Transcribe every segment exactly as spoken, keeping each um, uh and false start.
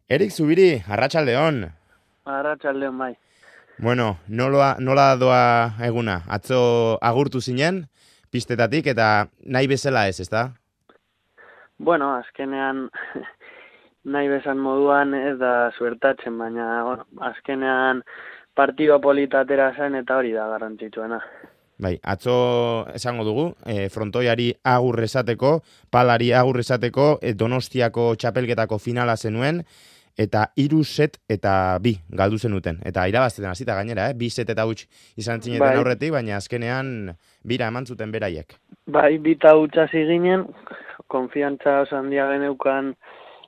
Erik Zubiri, arratsaldeon. Arratsaldeon bai. Bueno, nola, nola doa eguna? Atzo agurtu zinen, pistetatik, eta nahi bezala ez, ezta? Bueno, azkenean nahi bezan moduan ez da suertatzen, baina bueno, azkenean partida polita atera zen eta hori da garrantzitsuena. Bai, atzo esango dugu, e, frontoiari agur esateko, palari agur esateko, e, Donostiako txapelketako finala zenuen, eta hiru set eta bi galdu zenuten. Eta irabazten hasita gainera, eh? Bi set eta huts izan zineten Bai, aurretik, baina azkenean bira eman zuten beraiek. bai bita hutsa ginen, konfiantza oso handia geneukan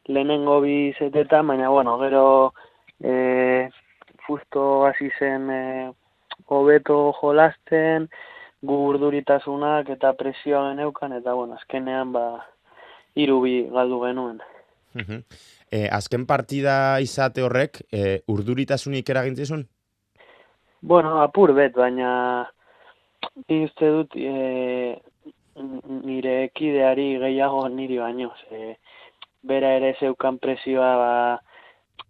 lehenengo bi setetan, baina bueno, gero eh justo hasi zen eh, hobeto jolasten, gu urduritasunak eta presioa geneukan, eta bueno, azkenean ba hiru bi galdu genuen. Mhm. E, azken partida izate horrek, e, urduritasunik eragintzizun? Bueno, apur bet, baina ni uste dut e, nire kideari gehiago niri baino. Ze, bera ere zeukan presioa ba,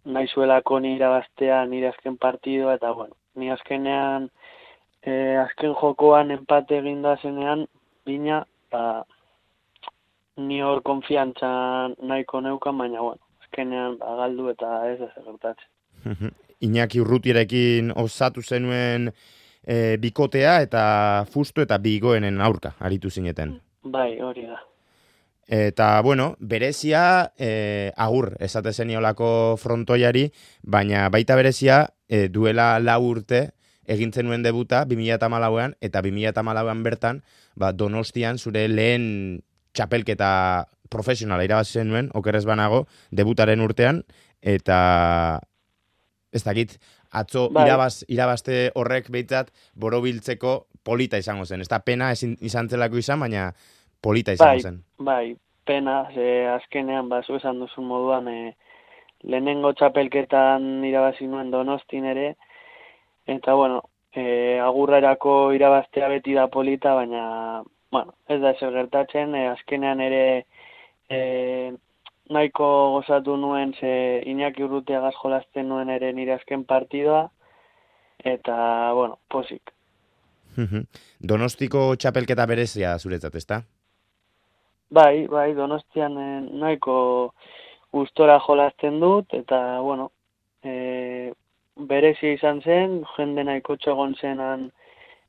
nahi zuelako nire irabaztea nire azken partidoa, eta bueno, ni azkenean e, azken jokoan empate eginda zenean, bina, ba, ni hor konfiantza nahiko neukan, baina bueno, azkenean ba, galdu eta ez da zer gertatzen. Mhm. Iñaki Urrutirekin osatu zenuen e, bikotea eta fustu eta bigoenen aurka aritu zineten. Bai, hori da. Eta, bueno, berezia e, agur esate zeniolako frontoiari, baina baita berezia e, duela lau urte egin zenuen debuta bi mila hamalauean, eta bi mila hamalauean bertan, ba, Donostian zure lehen txapelketa profesionala irabazi zenuen, okerrez banago, debutaren urtean, eta ez dakit, atzo Bai, irabaz, irabazte horrek behitzat borobiltzeko polita izango zen. Ez da pena ezin, izan zelako izan, baina polita izango bai, zen. bai, pena, ze azkenean, ba, zu esan duzun moduan, e, lehenengo txapelketan irabazi nuen Donostin ere, eta, bueno, e, agurrerako irabaztea beti da polita, baina, bueno, ez da ezer gertatzen, e, azkenean ere e, nahiko gozatu nuen, ze Iñaki Urrutiagaz jolasten nuen ere nire azken partidoa, eta, bueno, posik. Donostiko txapelketa berezia zuretzat, ezta? Bai, bai, Donostian e, nahiko gustora jolasten dut, eta, bueno, e, berezia izan zen, jende nahiko txogon zenan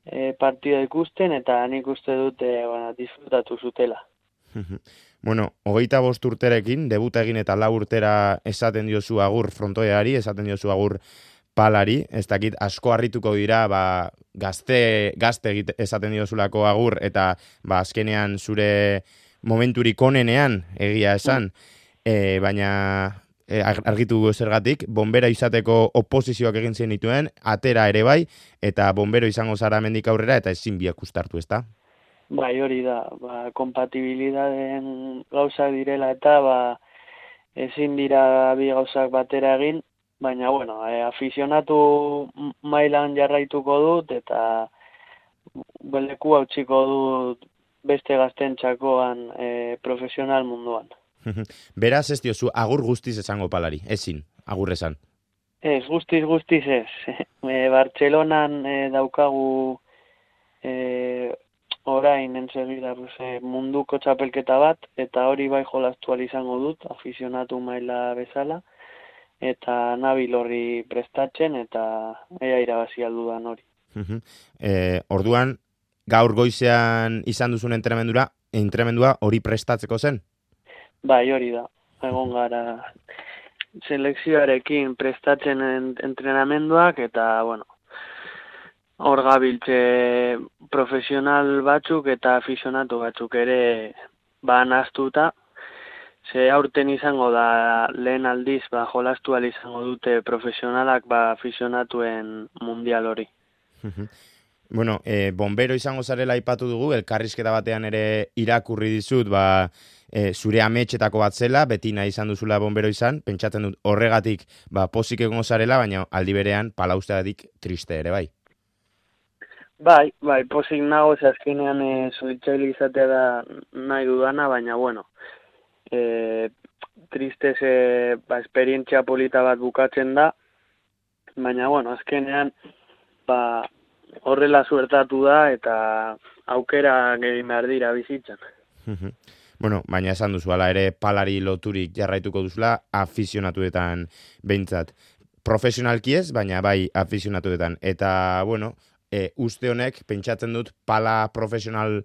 e, partida ikusten, eta nik uste dut e, bueno, disfrutatu zutela. Bueno, hogeita bost urterekin, debuta egin eta lau urtera esaten diozu agur frontoiari, esaten diozu agur palari, ez dakit asko harrituko dira, ba, gazte, gazte egite- esaten diozulako agur, eta ba, azkenean zure momenturik onenean egia Mm. esan, e, baina e, ar- argitu gu zergatik, bombera izateko oposizioak egin zen dituen, atera ere bai, eta bombero izango zara mendik aurrera, eta ezin biak ustartu, ezta? Bai, hori da, ba, kompatibilidaden gauzak direla eta ba, ezin dira bi gauzak batera egin, baina, bueno, e, afizionatu m- mailan jarraituko dut, eta beleku hautsiko dut beste gaztentxakoan e, profesional munduan. Beraz ez diozu agur guztiz esango palari, ezin, agur esan. Ez, guztiz, guztiz ez. E, Bartzelonan e, daukagu e, orain ensegida pues, e, munduko txapelketa bat, eta hori bai jolastu ahal izango dut, afizionatu maila bezala, eta nabil horri prestatzen, eta ea irabazi aldudan hori. e, orduan, gaur goizean izan duzun entrenamendura, entrenamendua hori prestatzeko zen? Bai, hori da. Egon gara selekzioarekin prestatzen en, entrenamenduak, eta, bueno, hor gabiltze profesional batzuk eta afizionatu batzuk ere ba nahastuta. Ze aurten izango da lehen aldiz ba jolastu ahal izango dute profesionalak ba afizionatuen mundial hori. Bueno, e, bombero izango zarela aipatu dugu, elkarrizketa batean ere irakurri dizut, ba, e, zure ametxetako bat zela, beti nahi izan duzula bombero izan, pentsatzen dut horregatik ba, pozik egongo zarela, baina aldi berean palausteatik triste ere, bai. Bai, bai, posik nago, ze azkenean e, suhiltzaile izatea da nahi dudana, baina bueno, e, tristez e, ba, esperientzia polita bat bukatzen da, baina, bueno, azkenean, ba, horrela suertatu da eta aukera egin behar dira bizitzan. Bueno, baina esan duzu, ala ere palari loturik jarraituko duzula afizionatuetan behintzat. Profesionalki ez, baina bai afizionatuetan. Eta, bueno, e, uste honek, pentsatzen dut, pala profesional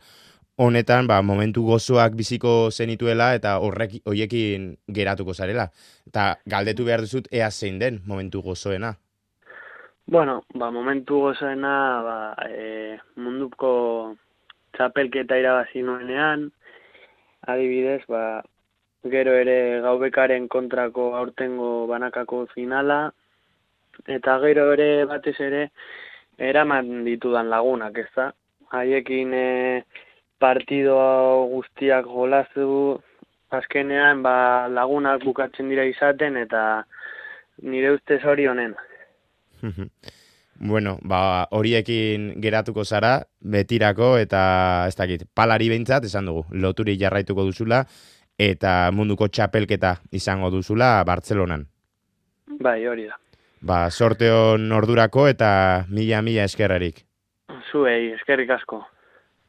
honetan, ba, momentu gozoak biziko zenituela eta horrek hoiekin geratuko zarela. Eta galdetu behar duzut, ea zein den momentu gozoena. Bueno, ba, momentu gozoena, ba, e, munduko txapelketa irabazi nuenean, adibidez, ba, gero ere gaubekaren kontrako aurtengo banakako finala, eta gero ere batez ere eraman ditudan lagunak, ez da? Haiekin e, partido guztiak jolazu, azkenean ba, lagunak bukatzen dira izaten, eta nire ustez hori honena. Bueno, ba, horiekin geratuko zara, betirako, eta ez dakit, palari behintzat, esan dugu, loturi jarraituko duzula, eta munduko txapelketa izango duzula Bartzelonan. Bai, hori da. Ba, sorte on ordurako eta mila-mila eskerrarik. Zuei, eskerrik asko.